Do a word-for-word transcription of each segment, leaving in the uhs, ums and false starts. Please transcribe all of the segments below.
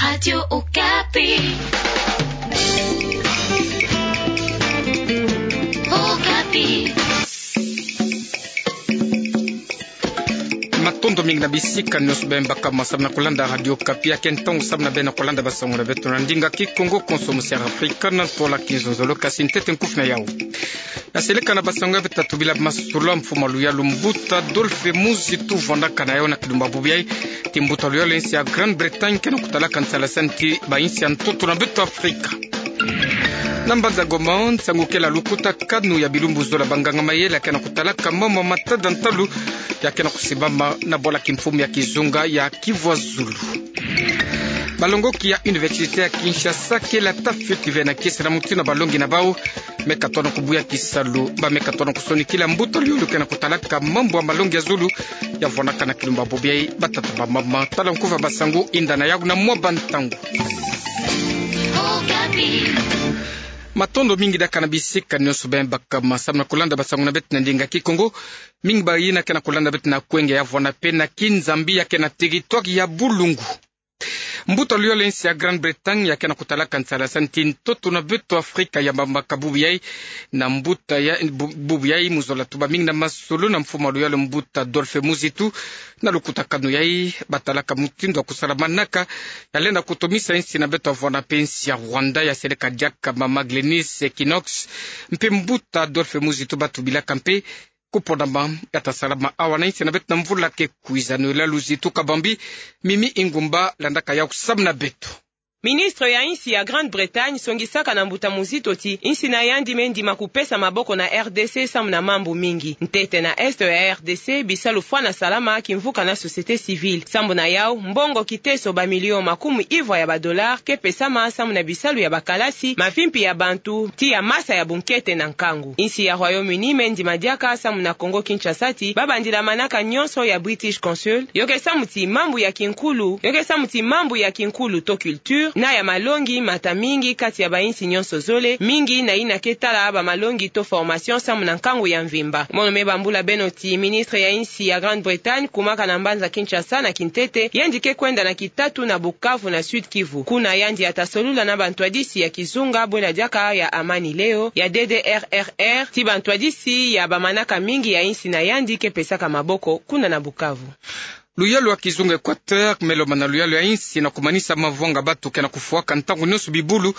Radio Okapi. Okapi. Matondo mingi na bisika nyonso bemba kama samu na kolanda Radio Okapi. Ya ke ntangu samu na beno kolanda basango na beto na ndinga Kikongo, konso musi ya Afrika, na ntola kizunzolo. Kasi ntete nkufi na yau. Na seleka na basango ya beto, tatu bila masolo, mfumu a luyalu mbuta Adolphe Muzitu vwandaka na yau na kilumbu bubu yai, ti mbuta luyalu ya insi ya Grande-Bretagne ke na kutalaka nsalasani ti bainsi ya ntoto na beto Afrika. Na mbanza Goma, nsangu kele lukutakanu ya bilumbu zola banganga mayele ya ke na kutalaka mambu matada ntalu ya ke na kusimbama na bwala kimfumu ya kizunga ya Kivu ya Zulu. Balongoki ya Université ya Kinshasa kele ata fioti ve na kiese na mutindu na balongi na bau. Me katona kubuya kisalu, ba me katona kusonikila mbuta luyalu ke na kutalaka mambu ya malongi ya zulu, ya vwanaka na kilumbu bubu yai. Batata, bamama, tala nkufi ya basango, yinda na yau na mwa bantangu. Matondo mingi diaka na bisika nyonso bemba kama samu na kolanda basango na beto na ndinga Kikongo. Mingi bayina ke na kolanda beto na Kwenge ya vwana pe na Kinzambi ya ke na territoire ya Bulungu. Mbuta luyalu ya insi ya Grande-Bretagne ya ke na kutalaka nsalasani ti ntoto na beto Afrika ya bambaka bubu yai. Na mbuta ya bu-, bubu yai mu zola tuba mingi na masolo na mfumu a luyalu mbuta Adolphe Muzitu. Na lukutakanu yai, batalaka mutindu ya kusala manaka ya lenda kutomisa insi na beto ya vwana pe, insi ya Rwanda, ya seleka diaka mama Glenys Equinox mpe mbuta Adolphe Muzitu batubilaka mpe kuponama ya ta salama awa na insi na beto na mvula ke kwiza. Noela Luzitu Kabambi, Mimi Ingumba landaka yau samu na beto. Ministre ya insi ya Grande-Bretagne songisaka na mbuta Muzitu ti insi na yandi me ndima kupesa maboko na R D C samu na mambu mingi. Ntete na Est ya R D C, bisalu fwana salama kimvuka na société civile. Sambu na yau, mbongo kiteso bamilio makumiyuvu ya badollars ke pesama samu na bisalu ya bakalasi, mavimpi ya bantu, ti ya masa ya bunkete na nkangu. Insi ya Royaume-Uni me ndima diaka samu na Congo-Kinshasa ti babandila manaka nyonso ya British Council, yo ke samu ti mambu ya kinkulu, yo ke samu ti mambu ya kinkulu to culture, na ya malongi mata mingi kati ya bainsi nyonso zole, mingi na yina ke tala bamalongi to formation samu na nkangu ya mvimba. Mono me bambula beno ti ministre ya insi ya Grande-Bretagne kumaka na mbanza Kinshasa na kintete, yandi ke kwenda na kitatu na Bukavu na Sud-Kivu. Kuna yandi ya ta solula na bantwadisi ya kizunga bwela diaka ya Amani Leo, ya D D R R R, ti bantwadisi ya bamanaka mingi ya insi na yandi ke pesaka maboko kuna na Bukavu. Luyalu ya kizunga Équateur me lomana luyalu ya insi na kumanisa mavanga batu ke na kufwaka ntangu nyonso bibulu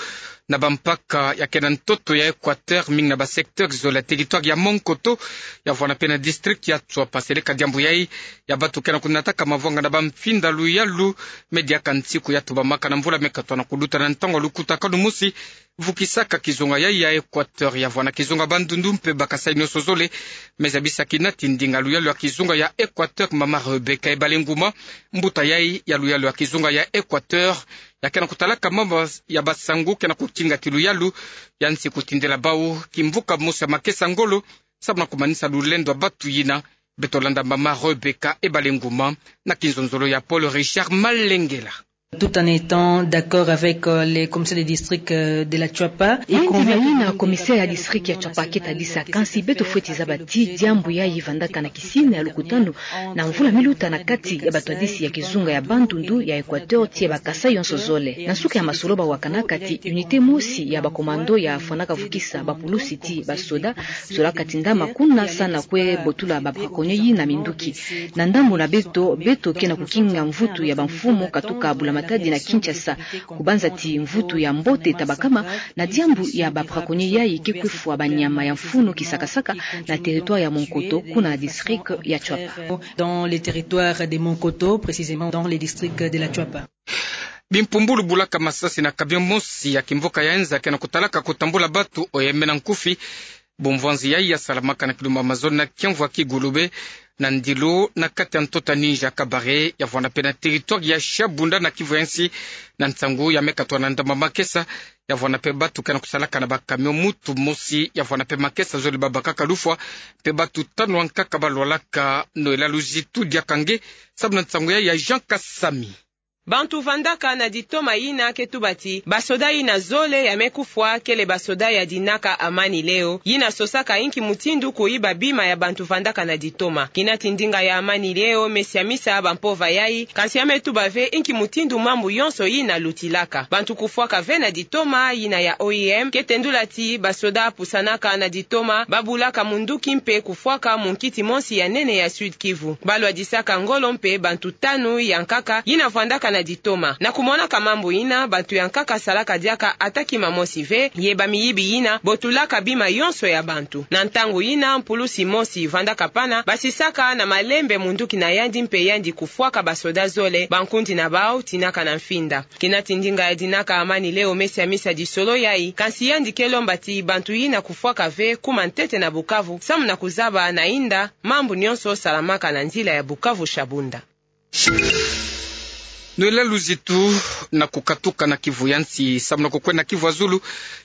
na bampaka ya ke na ntoto ya Équateur, mingi na basecteur zole ya territoire ya Monkoto, ya vwana pe na district ya Tsouapa. Seleka diambu yai ya batu ke na kunataka mavanga na bamfinda luyalu me diaka nsiku ya tubamaka na mvula me katona kuluta na ntangu ya lukutakanu mosi vukisaka kizunga yai ya Équateur, ya vwana kizunga Bandundu mpe ba Kasaï nyonso zole. Me zabisaki na ti ndinga luyalu ya kizunga ya Équateur, mama Rebecca Ebalenguma, mbuta yai ya luyalu ya kizunga ya Équateur, ya ke na kutalaka mambu ya basango ke na kutinga ti luyalu ya nsi kutindela bau kimvuka mosi ya makesa ngolo, samu na kumanisa lulendo ya batu yina. Beto landa mama Rebecca Ebalenguma na kinzonzolo ya Paul Richard Malengela. Tout en étant d'accord avec, euh, les commissaires de district, euh, de la Tsouapa. Yandi me yina commissaire ya district ya Tsouapa ke tadisa, kansi beto fweti zaba ti diambu yai vandaka na kisina ya lukutanu na mvula miluta na kati ya batwadisi ya kizunga ya Bandundu, ya Équateur, ti ya ba Kasaï yonso zole. Na nsuka ya masolo bawakanaka ti unité mosi ya ba commando ya fwanaka vukisa bapulusi ti basoda zolaka tindama kuna sa na kwe botula ba braconnier yina minduki. Na ndambu na beto, beto ke na kukinga mvutu ya bamfumu katuka bula-matadi na Kinshasa, kubanza ti mvutu ya mbote tabakama na diambu ya ba braconnier yai ke kwe fwa banyama ya mfunu kisakasaka na territoire ya Monkoto, kuna na district ya Tsouapa. Dans les territoires de Monkoto, précisément dans les districts de la Tsouapa. Bimpumbulu bulaka masasi na camion mosi ya kimvuka ya Enza ke na kutalaka kutambula batu oyeme na nkufi. Bumvwanzi yai ya salamaka na kilumbu ya mazono na kiamvu ya Kigulube, na ndilu na kati ya ntoto ya Ninja Kabare, ya vwana pe na territoire ya Shabunda na Kivu ya nsi. Na nsangu ya me katona ndambu ya makesa, ya vwana pe batu ke na kusalaka na ba camion mutu mosi, ya vwana pe makesa zole babakaka lufwa, pe batu tanu ankaka balwalaka. Noela Luzitu diaka nge samu na nsangu yai ya Jean Kasami. Bantu vandaka na ditoma yina ke tuba ti basoda yina zole ya me kufwa kele basoda ya dinaka Amani Leo, yina sosaka inki mutindu kuyiba bima ya bantu vandaka na ditoma. Kina ti ndinga ya Amani Leo me siamisa bampova yayi, kansi ya me tuba ve inki mutindu mambu yonso yina lutilaka. Bantu kufwaka ve na ditoma yina ya O I M ke tendula ti basoda pusanaka na ditoma, babulaka munduki mpe kufwaka munkiti mosi ya nene ya Sud-Kivu. Balwadisaka ngolo mpe bantu tanu ya nkaka yina vandaka na ditoma. Na kumonaka mambu yina, bantu ya nkaka salaka diaka ata kima mosi ve, ye bamiyibi yina botulaka bima yonso ya bantu. Na ntangu yina, mpulusi mosi vandaka pana basisaka na malembe munduki na yandi mpe yandi kufwaka basoda zole, bankundi na bau tinaka na mfinda. Kina ti ndinga ya dinaka Amani Leo me siamisa disolo yayi, kansi yandi ke lomba ti bantu yina kufwaka ve kuma ntete na Bukavu, samu na kuzaba na inda mambu nyonso salamaka na nzila ya Bukavu-Shabunda. Noëlla Luzitu. Na kukatuka na Kivu ya nsi samu na kukwenda Kivu ya zulu,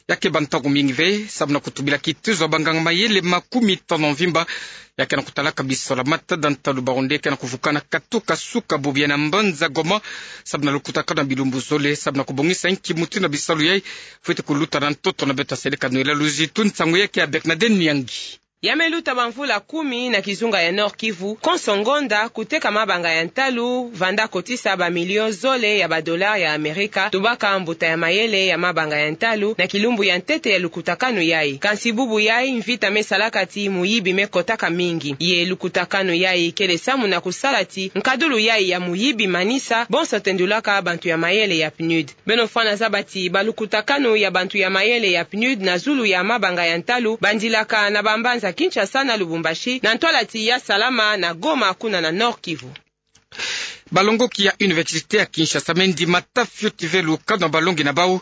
ya keba ntangu mingi ve, samu na kutubila kitezo ya banganga mayele makumi tanu mvimba ya ke na kutalaka bisalu ya matada ntalu, bau nde ke na kuvukana katuka suka bobo ya na mbanza Goma, samu na lukutakanu ya bilumbu zole, samu na kubongisa inki mutindu ya bisalu yayi fweti kuluta na ntoto na beto ya seleka Noëlla Luzitu. Nsangu yayi ke ya Bernadette Nyangi. Ya me luta bamvula kumi na kizunga ya Nord-Kivu, konso ngonda kuteka mabanga ya ntalu vanda kotisa bamilio zole ya badolari ya Amerika, tubaka mbuta ya mayele ya mabanga ya ntalu na kilumbu ya ntete ya lukutakanu yayi. Kansi bubu yayi, mvita me salaka ti muyibi me kotaka mingi. Ye lukutakanu yayi kele samu na kusala ti nkadulu yayi ya muyibi manisa, bonso tendulaka bantu ya mayele ya PNUD. Beno fwana zaba ti balukutakanu ya bantu ya mayele ya PNUD na zulu ya mabanga ya ntalu bandilaka na bambanza Kinshasa na Lubumbashi, na ntwala ti ya salama na Goma, kuna na Nord-Kivu. Balongoki ya Université ya Kinshasa me ndima ta fioti ve lukanu ya balongi na bau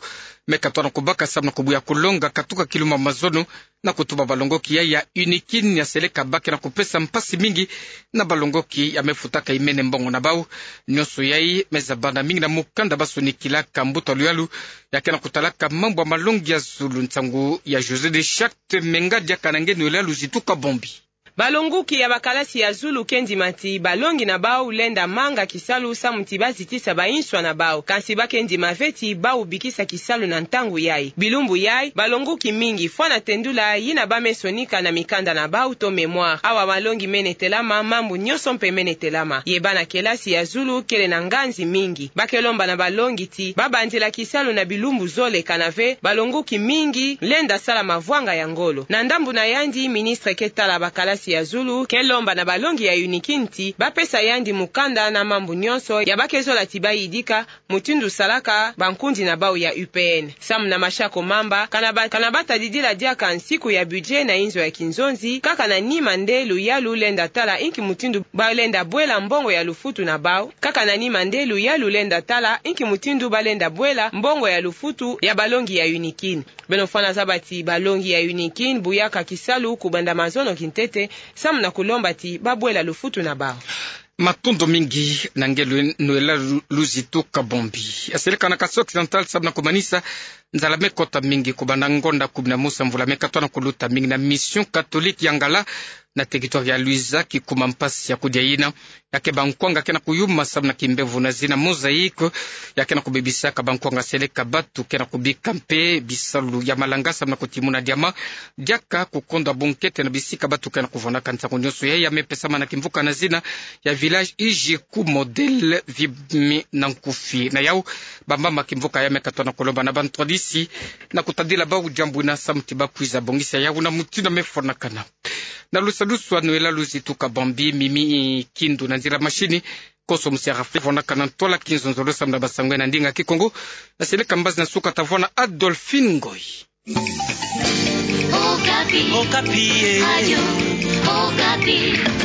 me katwa na kubaka samu na kubuya kulonga katuka kilumbu ya mazono, na kutuba balongoki ya, ya UNIKIN ya seleka ba ke na kupesa mpasi mingi na balongoki ya me futaka imene mbongo na bau. Nyonso yayi me zabana mingi na mukanda ba sonikilaka mbuta luyalu ya ke na kutalaka mambu ya malongi ya zulu. Nsangu ya José de Charte Menga diaka na nge Noëlla Luzitu Kabombi. Balongoki ya bakalasi ya zulu ke ndima ti balongi na bau lenda manga kisalu samu ti ba zitisa bainswa na bau. Kansi ba ke ndima ve ti bau bikisa kisalu na ntangu yayi. Bilumbu yayi, balongoki mingi fwana tendula yina ba me sonika na mikanda na bau to mémoire. Awa malongi mene telama, mambu nyonso mpe mene telama. Ye bana kelasi ya zulu kele na nganzi mingi. Ba ke lomba na balongi ti ba bandila kisalu na bilumbu zole, kana ve balongoki mingi lenda sala mavwanga ya ngolo. Na ndambu na yandi, ministre ke tala bakalasi ya zulu ke lomba na balongi ya UNIKIN ti ba pesa yandi mukanda na mambu nyonso ya ba ke zola ti ba yidika, mutindu salaka bankundi na bau ya U P N. Samu na Mashako Mamba, kana ba, kana ba tadidila diaka nsiku ya budget na inzo ya kinzonzi, kaka na nima nde luyalu lenda tala inki mutindu ba lenda bwela mbongo ya lufutu na bau. Kaka na nima nde luyalu lenda tala inki mutindu ba lenda bwela mbongo ya lufutu ya balongi ya UNIKIN. Beno fwana zaba ti balongi ya UNIKIN buyaka kisalu kubanda mazono kintete, samu na kulomba ti ba bwela lufutu na bau. Matondo mingi na nge Lu-, Noëlla Lu-, Luzitu Kabombi. Ya seleka na Kasai Occidental samu na kumanisa nzala me kota mingi kubanda ngonda kumi na mosi ya mvula me katwa na kuluta mingi na Mission Catholique ya Ngala, na territoire ya Luiza, kikuma mpasi ya kudia yina ya ke bankwanga ke na kuyuma samu na kimbevo na zina mosaïque ya ke na kubebisaka bankwanga seleka batu ke na kubika mpe bisalu ya malanga samu na kutimuna diama, diaka kukonda bunkete na bisika batu ke na kuvwandaka. Nsangu nyonso yayi ya me pesama na kimvuka na zina ya village Ijiku Modèle Vibmi na nkufi. Na yau, bamama kimvuka ya me katwa na kulomba na bantwadisi na kutadila bau diambu yina samu ti ba kwiza bongisa yau na mutindu ya me fwanakana. Na lusadusu ya Noëlla Luzitu Kabombi, Mimi Kindu na nzila mashini, konso musi ya Rafael fwanakana ntwala kinzonzolo samu na basango ya na ndinga Kikongo. Ya seleka mbazi na suka ta vwanda na Adolphine Ngoy. Okapi. Okapi, eh. Radio Okapi.